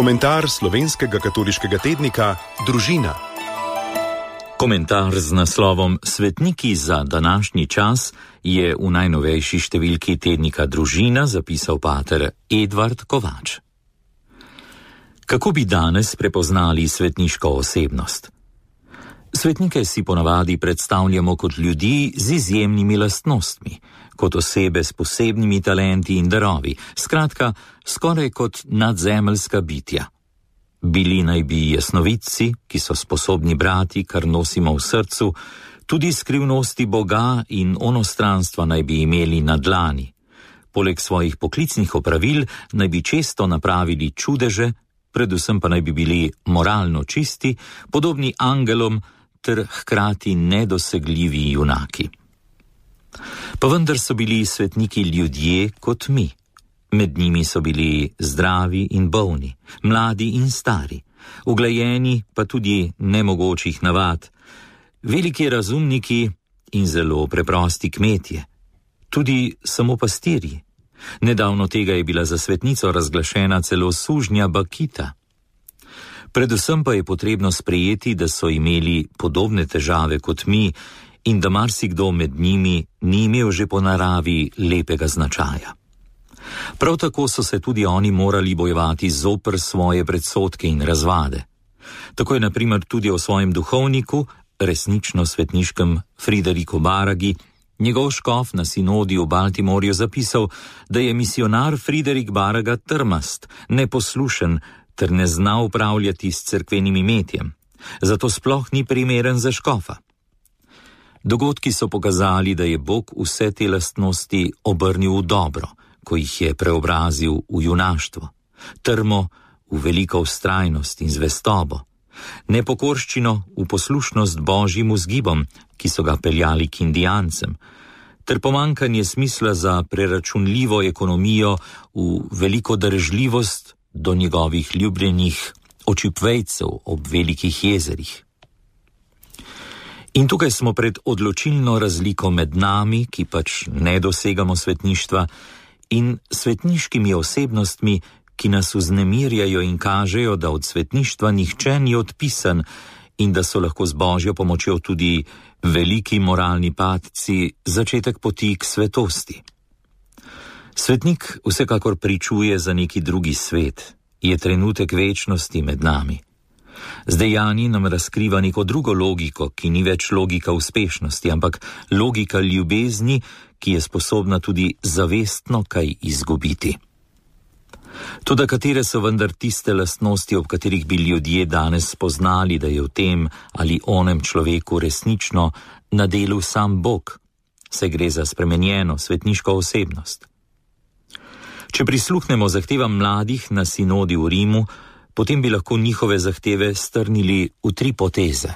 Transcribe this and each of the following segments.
Komentar slovenskega katoliškega tednika Družina. Komentar z naslovom Svetniki za današnji čas je v najnovejši številki tednika Družina zapisal pater Edvard Kovač. Kako bi danes prepoznali svetniško osebnost? Svetnike si ponavadi predstavljamo kot ljudi z izjemnimi lastnostmi, kot osebe s posebnimi talenti in darovi, skratka, skoraj kot nadzemeljska bitja. Bili naj bi jasnovidci, ki so sposobni brati, kar nosimo v srcu, tudi skrivnosti Boga in onostranstva naj bi imeli na dlani. Poleg svojih poklicnih opravil naj bi često napravili čudeže, predvsem pa naj bi bili moralno čisti, podobni angelom ter hkrati nedosegljivi junaki. Pa vendar so bili svetniki ljudje kot mi. Med njimi so bili zdravi in bolni, mladi in stari, uglajeni pa tudi nemogočih navad, veliki razumniki in zelo preprosti kmetje, tudi samo pastirji. Nedavno tega je bila za svetnico razglašena celo sužnja Bakita. Predvsem pa je potrebno sprejeti, da so imeli podobne težave kot mi in da marsikdo med njimi ni imel že po naravi lepega značaja. Prav tako so se tudi oni morali bojevati zoper svoje predsodke in razvade. Tako je na primer tudi o svojem duhovniku, resnično svetniškem Frideriku Baragi, njegov škof na sinodi v Baltimorju zapisal, da je misionar Friderik Baraga trmast, neposlušen ter ne zna upravljati s cerkvenim imetjem, zato sploh ni primeren za škofa. Dogodki so pokazali, da je Bog vse te lastnosti obrnil v dobro, ko jih je preobrazil v junaštvo, trmo v veliko vztrajnost in zvestobo, nepokorščino v poslušnost Božjim vzgibom, ki so ga peljali k Indijancem, ter pomanjkanje smisla za preračunljivo ekonomijo v veliko darežljivost do njegovih ljubljenih očipvejcev ob velikih jezerih. In tukaj smo pred odločilno razliko med nami, ki pač ne dosegamo svetništva, in svetniškimi osebnostmi, ki nas vznemirjajo in kažejo, da od svetništva nihče ni odpisan in da so lahko z Božjo pomočjo tudi veliki moralni padci začetek poti k svetosti. Svetnik vsekakor pričuje za neki drugi svet, je trenutek večnosti med nami. Z dejanji nam razkriva neko drugo logiko, ki ni več logika uspešnosti, ampak logika ljubezni, ki je sposobna tudi zavestno kaj izgubiti. Toda katere so vendar tiste lastnosti, ob katerih bi ljudje danes spoznali, da je v tem ali onem človeku resnično na delu sam Bog, saj gre za spremenjeno svetniško osebnost. Če prisluhnemo zahtevam mladih na sinodi v Rimu, potem bi lahko njihove zahteve strnili v 3 poteze.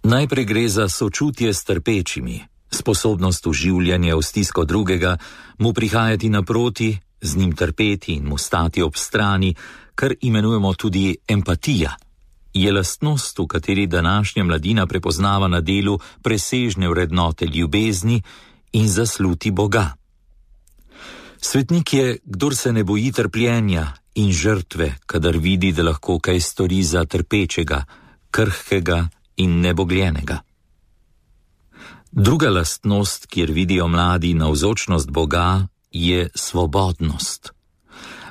Najprej gre za sočutje s trpečimi, sposobnost vživljanja v stisko drugega, mu prihajati naproti, z njim trpeti in mu stati ob strani, kar imenujemo tudi empatija. Je lastnost, v kateri današnja mladina prepoznava na delu presežne vrednote ljubezni in zasluti Boga. Svetnik je, kdor se ne boji trpljenja in žrtve, kadar vidi, da lahko kaj stori za trpečega, krhkega in nebogljenega. Druga lastnost, kjer vidijo mladi navzočnost Boga, je svobodnost.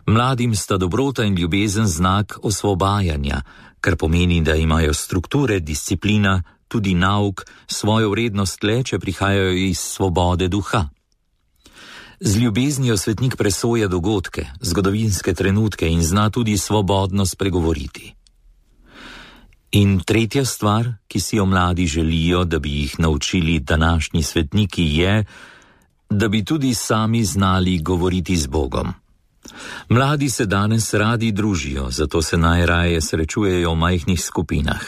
Mladim sta dobrota in ljubezen znak osvobajanja, kar pomeni, da imajo strukture, disciplina, tudi nauk, svojo vrednost le, če prihajajo iz svobode duha. Z ljubeznijo svetnik presoja dogodke, zgodovinske trenutke in zna tudi svobodno spregovoriti. In tretja stvar, ki si jo mladi želijo, da bi jih naučili današnji svetniki, je, da bi tudi sami znali govoriti z Bogom. Mladi se danes radi družijo, zato se najraje srečujejo v majhnih skupinah.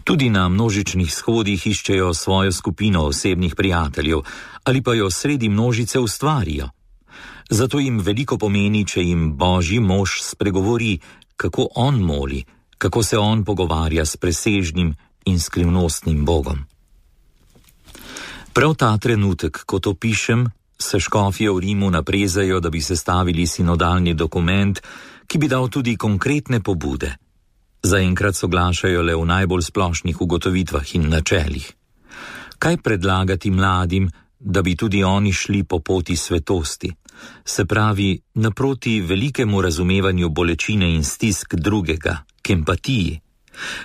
Tudi na množičnih shodih iščejo svojo skupino osebnih prijateljev ali pa jo sredi množice ustvarijo. Zato jim veliko pomeni, če jim Božji mož spregovori, kako on moli, kako se on pogovarja s presežnim in skrivnostnim Bogom. Prav ta trenutek, ko to pišem, se škofje v Rimu naprezajo, da bi sestavili sinodalni dokument, ki bi dal tudi konkretne pobude. Zaenkrat soglašajo le v najbolj splošnih ugotovitvah in načelih. Kaj predlagati mladim, da bi tudi oni šli po poti svetosti, se pravi naproti velikemu razumevanju bolečine in stisk drugega, k empatiji?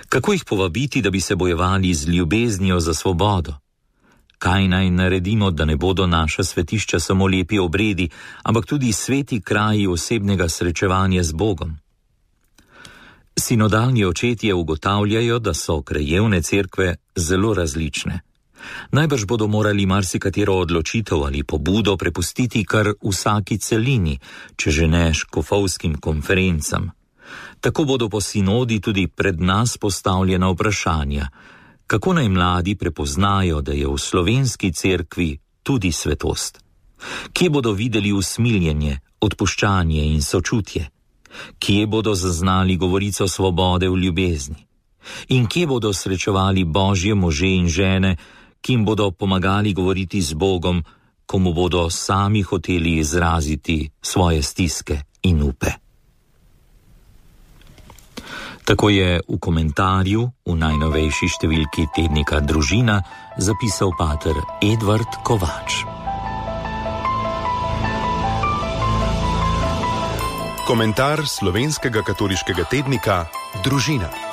Kako jih povabiti, da bi se bojevali z ljubeznijo za svobodo? Kaj naj naredimo, da ne bodo naša svetišča samo lepi obredi, ampak tudi sveti kraji osebnega srečevanja z Bogom? Sinodalni očetje ugotavljajo, da so krajevne cerkve zelo različne. Najbrž bodo morali marsikatero odločitev ali pobudo prepustiti kar vsaki celini, če že ne škofovskim konferencam. Tako bodo po sinodi tudi pred nas postavljena vprašanja, kako naj mladi prepoznajo, da je v slovenski cerkvi tudi svetost. Kje bodo videli usmiljenje, odpuščanje in sočutje? Kje bodo zaznali govorico svobode v ljubezni? In kje bodo srečevali božje može in žene, ki jim bodo pomagali govoriti z Bogom, ko mu bodo sami hoteli izraziti svoje stiske in upe? Tako je v komentarju v najnovejši številki tednika Družina zapisal pater Edvard Kovač. Komentar slovenskega katoliškega tednika Družina.